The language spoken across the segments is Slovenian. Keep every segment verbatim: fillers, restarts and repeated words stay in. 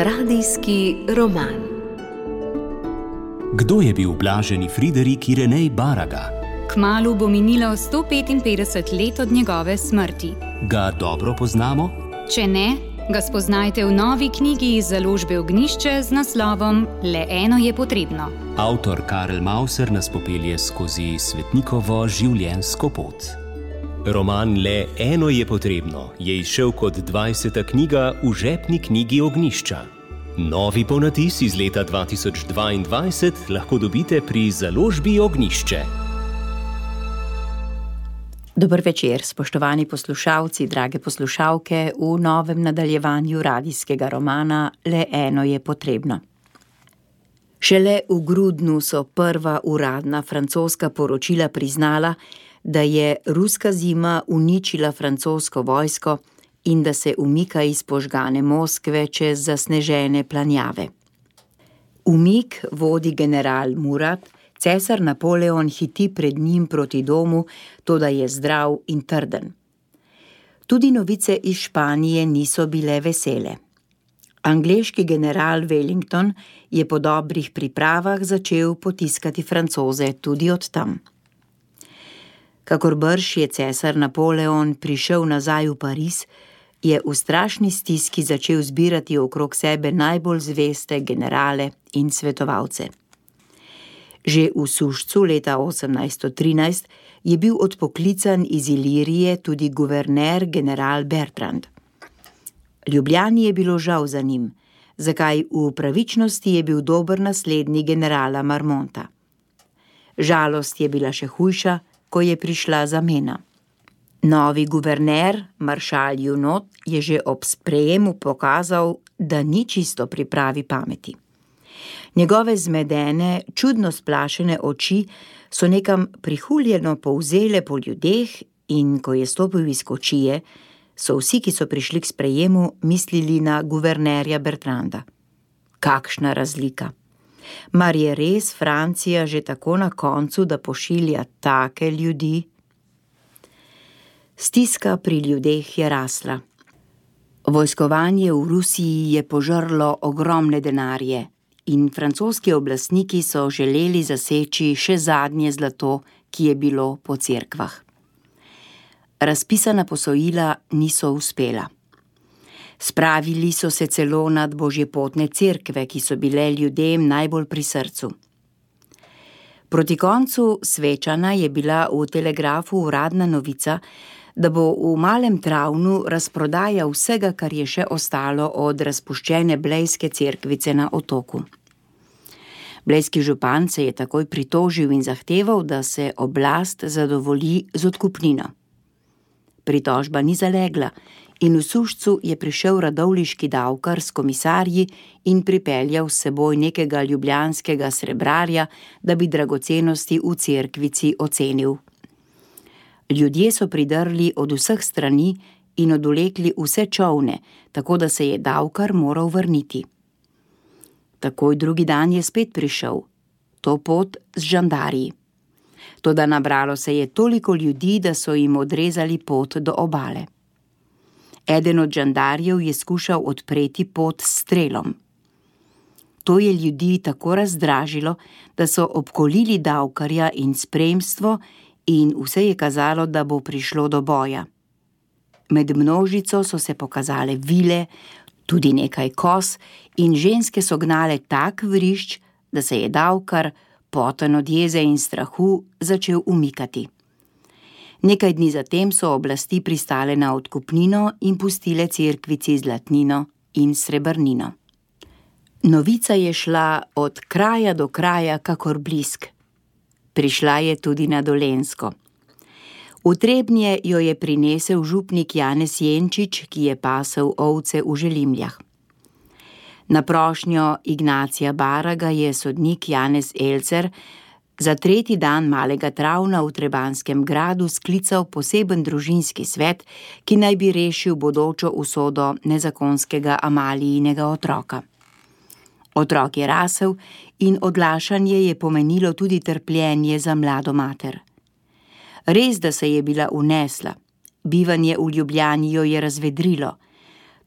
Radijski roman. Kdo je bil blaženi Friderik Irenej Baraga? Kmalu bo minilo sto petinpetdeset let od njegove smrti. Ga dobro poznamo? Če ne, ga spoznajte v novi knjigi iz založbe Ognjišče z naslovom Le eno je potrebno. Avtor Karel Mauser nas popelje skozi svetnikovo življenjsko pot. Roman Le eno je potrebno je izšel kot dvajseta knjiga v žepni knjigi Ognjišča. Novi ponatis iz leta dva tisoč dvaindvajset lahko dobite pri založbi Ognjišče. Dober večer, spoštovani poslušalci, drage poslušalke, v novem nadaljevanju radijskega romana Le eno je potrebno. Šele v grudnu so prva uradna francoska poročila priznala, da je ruska zima uničila francosko vojsko in da se umika iz požgane Moskve čez zasnežene planjave. Umik vodi general Murat, cesar Napoleon hiti pred njim proti domu, toda je zdrav in trden. Tudi novice iz Španije niso bile vesele. Angleški general Wellington je po dobrih pripravah začel potiskati Francoze tudi od tam. Kakor brž je cesar Napoleon prišel nazaj v Pariz, je v strašni stiski začel zbirati okrog sebe najbolj zveste generale in svetovalce. Že v Sušcu leta osemnajststo trinajst je bil odpoklican iz Ilirije tudi guverner general Bertrand. Ljubljani je bilo žal za njim, zakaj v pravičnosti je bil dober naslednik generala Marmonta. Žalost je bila še hujša, ko je prišla zamena. Novi guverner, maršal Junot, je že ob sprejemu pokazal, da ni čisto pri pravi pameti. Njegove zmedene, čudno splašene oči so nekam prihuljeno povzele po ljudeh in ko je stopil iz kočije, so vsi, ki so prišli k sprejemu, mislili na guvernerja Bertranda. Kakšna razlika! Mar je res Francija že tako na koncu, da pošilja take ljudi? Stiska pri ljudeh je rasla. Vojskovanje v Rusiji je požrlo ogromne denarje in francoski oblastniki so želeli zaseči še zadnje zlato, ki je bilo po cerkvah. Razpisana posojila niso uspela. Spravili so se celo nad božjepotne cerkve, ki so bile ljudem najbolj pri srcu. Proti koncu svečana je bila v telegrafu uradna novica, da bo v Malem Travnu razprodaja vsega, kar je še ostalo od razpuščene blejske cerkvice na otoku. Blejski župan se je takoj pritožil in zahteval, da se oblast zadovolji z odkupnino. Pritožba ni zalegla in v Sušcu je prišel radovljiški davkar s komisarji in pripeljal s seboj nekega ljubljanskega srebrarja, da bi dragocenosti v cerkvici ocenil. Ljudje so pridrli od vseh strani in odvlekli vse čolne, tako da se je davkar moral vrniti. Takoj drugi dan je spet prišel, to pot z žandarji. Toda nabralo se je toliko ljudi, da so jim odrezali pot do obale. Eden od žandarjev je skušal odpreti pot s strelom. To je ljudi tako razdražilo, da so obkolili davkarja in spremstvo in vse je kazalo, da bo prišlo do boja. Med množico so se pokazale vile, tudi nekaj koz in ženske so gnale tak vrišč, da se je davkar, poten od jeze in strahu, začel umikati. Nekaj dni zatem so oblasti pristale na odkupnino in pustile cerkvici zlatnino in srebrnino. Novica je šla od kraja do kraja kakor blisk. Prišla je tudi na Dolenjsko. V Trebnje jo je prinesel župnik Janez Jenčič, ki je pasel ovce v Želimljah. Na prošnjo Ignacija Baraga je sodnik Janez Elcer za tretji dan Malega Travna v Trebanjskem gradu sklical poseben družinski svet, ki naj bi rešil bodočo usodo nezakonskega Amalijinega otroka. Otrok je rasel in odlašanje je pomenilo tudi trpljenje za mlado mater. Res, da se je bila unesla, bivanje v Ljubljani jo je razvedrilo,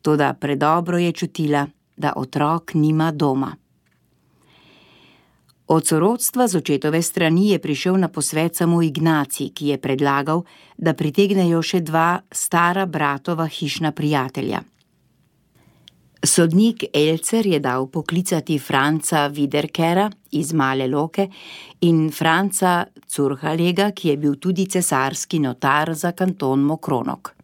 toda predobro je čutila, da otrok nima doma. Od sorodstva z očetove strani je prišel na posvet samo Ignacij, ki je predlagal, da pritegnejo še dva stara bratova hišna prijatelja. Sodnik Elcer je dal poklicati Franca Wiederkera iz Male Loke in Franca Curhalega, ki je bil tudi cesarski notar za kanton Mokronok.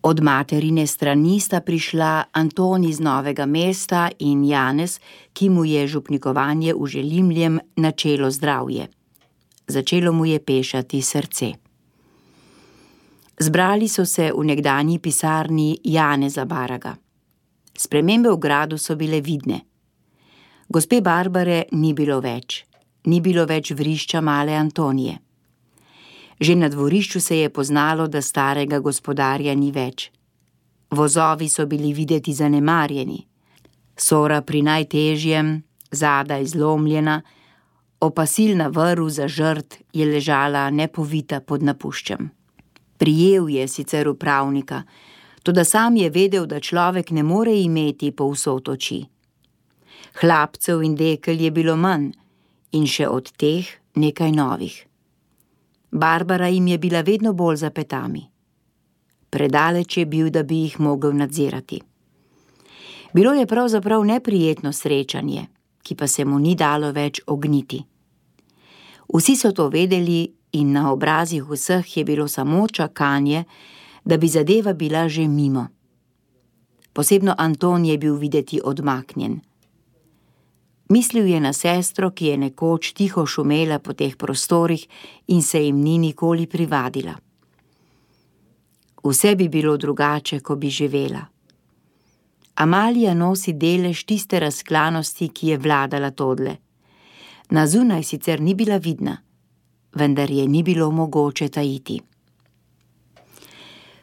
Od materine strani sta prišla Anton iz Novega mesta in Janez, ki mu je župnikovanje v Želimljem načelo zdravje. Začelo mu je pešati srce. Zbrali so se v nekdanji pisarni Janeza Baraga. Spremembe v gradu so bile vidne. Gospe Barbare ni bilo več, ni bilo več vrišča male Antonije. Že na dvorišču se je poznalo, da starega gospodarja ni več. Vozovi so bili videti zanemarjeni. Sora pri najtežjem, zadaj zlomljena, opasilna vrv za žrt je ležala nepovita pod napuščem. Prijel je sicer upravnika, toda sam je vedel, da človek ne more imeti povsod oči. Hlapcev in dekel je bilo manj in še od teh nekaj novih. Barbara jim je bila vedno bolj za petami. Predaleč je bil, da bi jih mogel nadzirati. Bilo je pravzaprav neprijetno srečanje, ki pa se mu ni dalo več ogniti. Vsi so to vedeli in na obrazih vseh je bilo samo čakanje, da bi zadeva bila že mimo. Posebno Anton je bil videti odmaknjen. Mislil je na sestro, ki je nekoč tiho šumela po teh prostorih in se jim ni nikoli privadila. Vse bi bilo drugače, ko bi živela. Amalija nosi delež tiste razklanosti, ki je vladala todle. Na zunaj sicer ni bila vidna, vendar je ni bilo mogoče tajiti.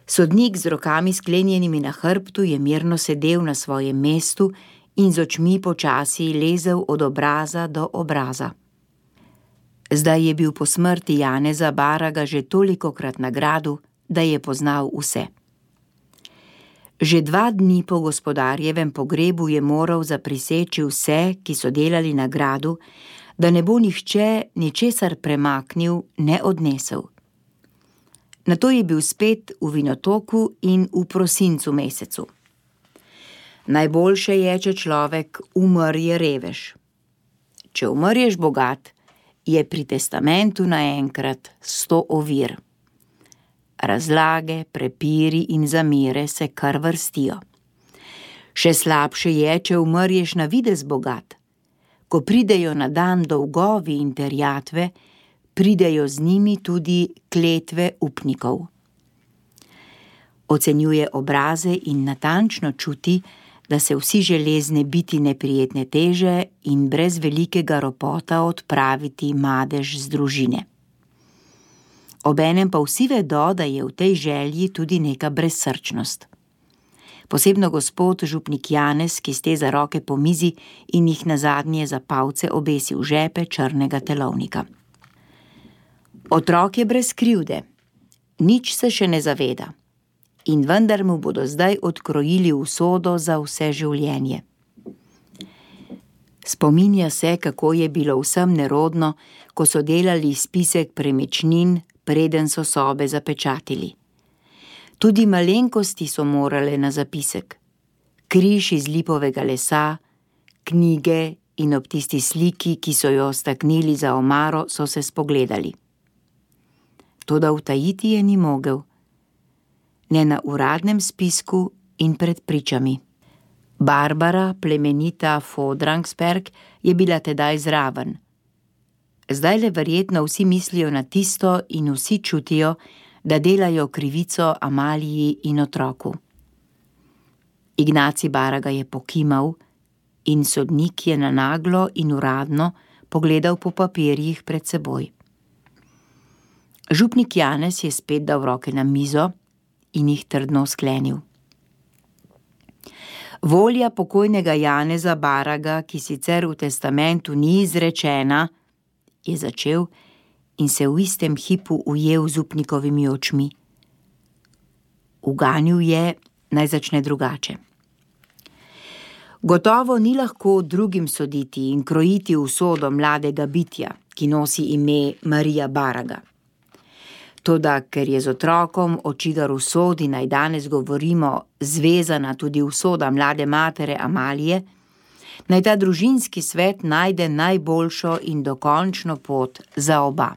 Sodnik z rokami sklenjenimi na hrbtu je mirno sedel na svojem mestu in z očmi počasi lezel od obraza do obraza. Zdaj je bil po smrti Janeza Baraga že tolikokrat na gradu, da je poznal vse. Že dva dni po gospodarjevem pogrebu je moral zapriseči vse, ki so delali na gradu, da ne bo nihče ničesar premaknil, ne odnesel. Nato je bil spet v Vinotoku in v prosincu mesecu. Najboljše je, če človek umrje revež. Če umrješ bogat, je pri testamentu naenkrat sto ovir. Razlage, prepiri in zamere se kar vrstijo. Še slabše je, če umrješ na videz bogat. Ko pridejo na dan dolgovi in terjatve, pridejo z njimi tudi kletve upnikov. Ocenjuje obraze in natančno čuti, da se vsi železne biti neprijetne teže in brez velikega ropota odpraviti madež z družine. Obenem pa vsi vedo, da je v tej želji tudi neka brezsrčnost. Posebno gospod župnik Janez, ki steza roke po mizi in jih nazadnje za palce obesi v žepe črnega telovnika. Otrok je brez krivde, nič se še ne zaveda in vendar mu bodo zdaj odkrojili usodo za vse življenje. Spominja se, kako je bilo vsem nerodno, ko so delali spisek premičnin, preden so sobe zapečatili. Tudi malenkosti so morale na zapisek. Križ iz lipovega lesa, knjige in ob tisti sliki, ki so jo staknili za omaro, so se spogledali. Toda utajiti je ni mogel. Ne na uradnem spisku in pred pričami. Barbara, plemenita Fodrangsberg, je bila tedaj zraven. Zdaj le verjetno vsi mislijo na tisto in vsi čutijo, da delajo krivico Amaliji in otroku. Ignacij Baraga je pokimal in sodnik je na naglo in uradno pogledal po papirjih pred seboj. Župnik Janez je spet dal roke na mizo in jih trdno sklenil. Volja pokojnega Janeza Baraga, ki sicer v testamentu ni izrečena, je začel in se v istem hipu ujel z upnikovimi očmi. Uganil je, naj začne drugače. Gotovo ni lahko drugim soditi in krojiti usodo mladega bitja, ki nosi ime Marija Baraga. Toda, ker je z otrokom, o čigar usodi naj danes govorimo, zvezana tudi usoda mlade matere Amalije, naj ta družinski svet najde najboljšo in dokončno pot za oba.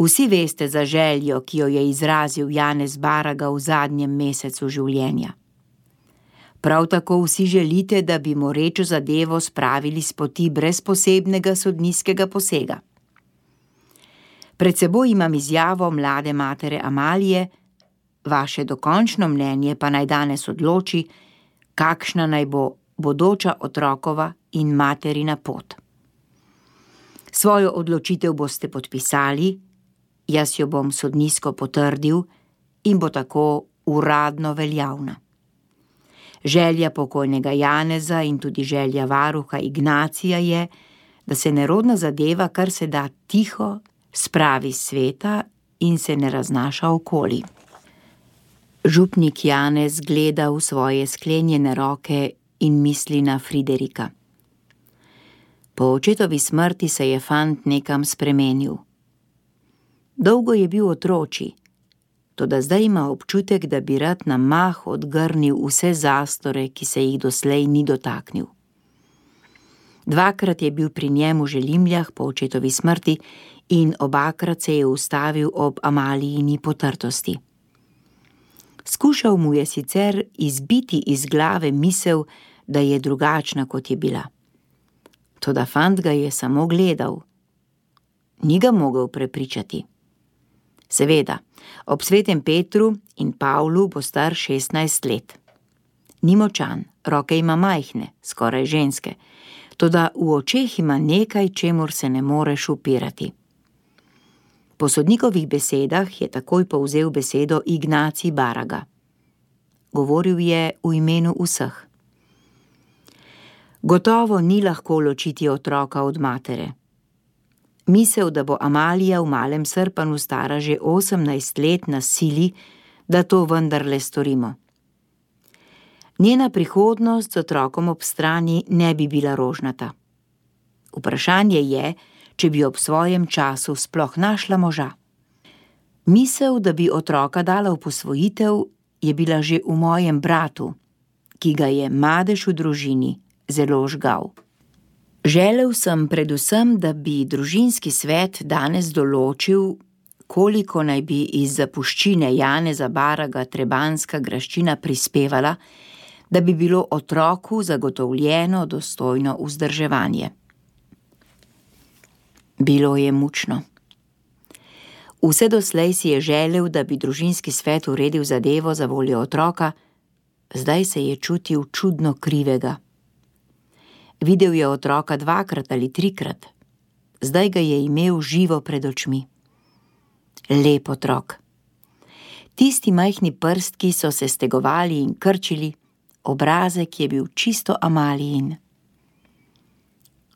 Vsi veste za željo, ki jo je izrazil Janez Baraga v zadnjem mesecu življenja. Prav tako vsi želite, da bi morečo zadevo spravili s poti brez posebnega sodniškega posega. Pred seboj imam izjavo mlade matere Amalije, vaše dokončno mnenje pa naj danes odloči, kakšna naj bo bodoča otrokova in materina pot. Svojo odločitev boste podpisali, jaz jo bom sodniško potrdil in bo tako uradno veljavna. Želja pokojnega Janeza in tudi želja varuha Ignacija je, da se nerodna zadeva kar se da tiho spravi s sveta in se ne raznaša okoli. Župnik Janez gleda v svoje sklenjene roke in misli na Friderika. Po očetovi smrti se je fant nekam spremenil. Dolgo je bil otročji, toda zdaj ima občutek, da bi rad na mah odgrnil vse zastore, ki se jih doslej ni dotaknil. Dvakrat je bil pri njemu v Želimljah po očetovi smrti in obakrat se je ustavil ob Amalijini potrtosti. Skušal mu je sicer izbiti iz glave misel, da je drugačna, kot je bila. Toda fant ga je samo gledal. Ni ga mogel prepričati. Seveda, ob svetem Petru in Pavlu bo star šestnajst let. Ni močan, roke ima majhne, skoraj ženske, toda v očeh ima nekaj, čemur se ne moreš upirati. Po sodnikovih besedah je takoj povzel besedo Ignacij Baraga. Govoril je v imenu vseh. Gotovo ni lahko ločiti otroka od matere. Misel, da bo Amalija v Malem Srpanu stara že osemnajst let, nas sili, da to vendarle storimo. Njena prihodnost z otrokom ob strani ne bi bila rožnata. Vprašanje je, če bi ob svojem času sploh našla moža. Misel, da bi otroka dala v posvojitev, je bila že v mojem bratu, ki ga je madež v družini zelo žgal. Želel sem predvsem, da bi družinski svet danes določil, koliko naj bi iz zapuščine Janeza Baraga trebanska graščina prispevala, da bi bilo otroku zagotovljeno dostojno vzdrževanje. Bilo je mučno. Vse doslej si je želel, da bi družinski svet uredil zadevo za voljo otroka, zdaj se je čutil čudno krivega. Videl je otroka dvakrat ali trikrat, zdaj ga je imel živo pred očmi. Lep otrok. Tisti majhni prstki so se stegovali in krčili, obrazek je bil čisto Amalijin.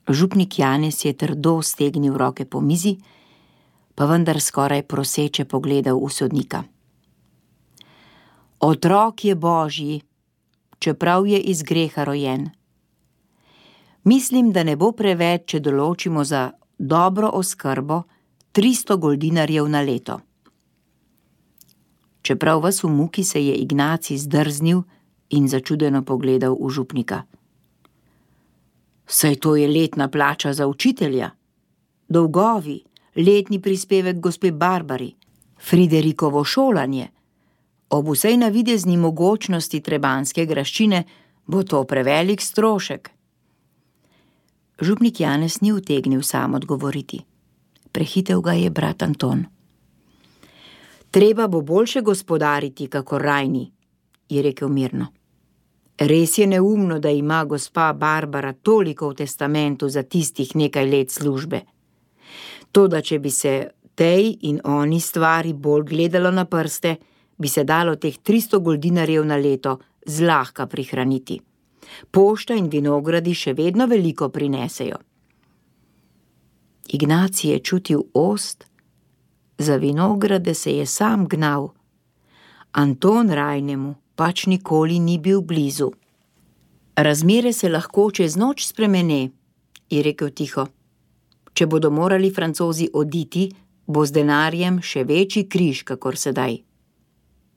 Župnik Janez je trdo stegnil roke po mizi, pa vendar skoraj proseče pogledal v sodnika. Otrok je Božji, čeprav je iz greha rojen. Mislim, da ne bo preveč, če določimo za dobro oskrbo tristo goldinarjev na leto. Čeprav ves v muki, se je Ignacij zdrznil in začudeno pogledal v župnika. Saj to je letna plača za učitelja, dolgovi, letni prispevek gospe Barbari, Friderikovo šolanje. Ob vsej navidezni mogočnosti trebanske graščine bo to prevelik strošek. Župnik Janez ni utegnil sam odgovoriti. Prehitel ga je brat Anton. Treba bo boljše gospodariti, kakor Rajni, je rekel mirno. Res je neumno, da ima gospa Barbara toliko v testamentu za tistih nekaj let službe. Toda, če bi se tej in oni stvari bolj gledalo na prste, bi se dalo teh tristo goldinarjev na leto zlahka prihraniti. Pošta in vinogradi še vedno veliko prinesejo. Ignacij je čutil ost, za vinograde se je sam gnal. Anton Rajnemu pač nikoli ni bil blizu. Razmere se lahko čez noč spremene, je rekel tiho. Če bodo morali Francozi oditi, bo z denarjem še večji križ, kakor sedaj.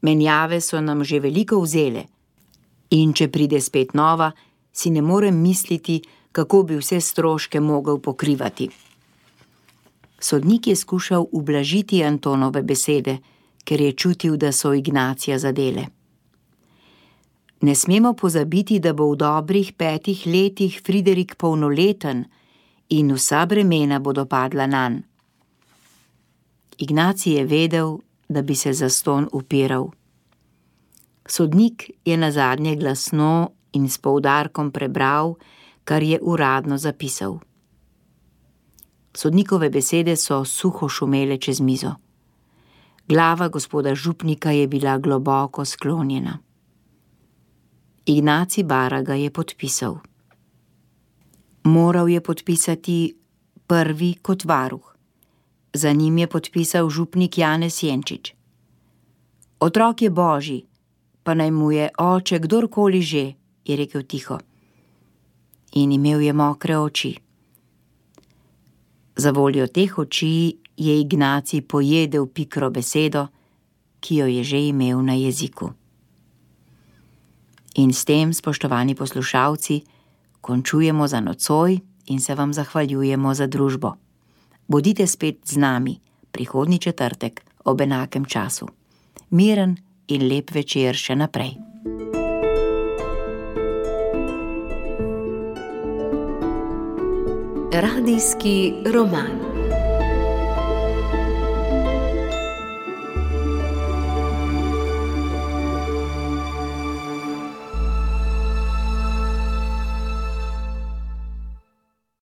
Menjave so nam že veliko vzele. In če pride spet nova, si ne morem misliti, kako bi vse stroške mogel pokrivati. Sodnik je skušal ublažiti Antonove besede, ker je čutil, da so Ignacija zadele. Ne smemo pozabiti, da bo v dobrih petih letih Friderik polnoleten in vsa bremena bodo padla nanj. Ignacij je vedel, da bi se zastonj upiral. Sodnik je nazadnje glasno in s poudarkom prebral, kar je uradno zapisal. Sodnikove besede so suho šumele čez mizo. Glava gospoda župnika je bila globoko sklonjena. Ignacij Baraga je podpisal. Moral je podpisati prvi kot varuh. Za njim je podpisal župnik Janez Jenčič. Otrok je božji, pa naj mu je oče kdorkoli že, je rekel tiho. In imel je mokre oči. Za voljo teh oči je Ignacij pojedel pikro besedo, ki jo je že imel na jeziku. In s tem, spoštovani poslušalci, končujemo za nocoj in se vam zahvaljujemo za družbo. Bodite spet z nami prihodnji četrtek ob enakem času. Miren in lep večer še naprej. Radijski roman.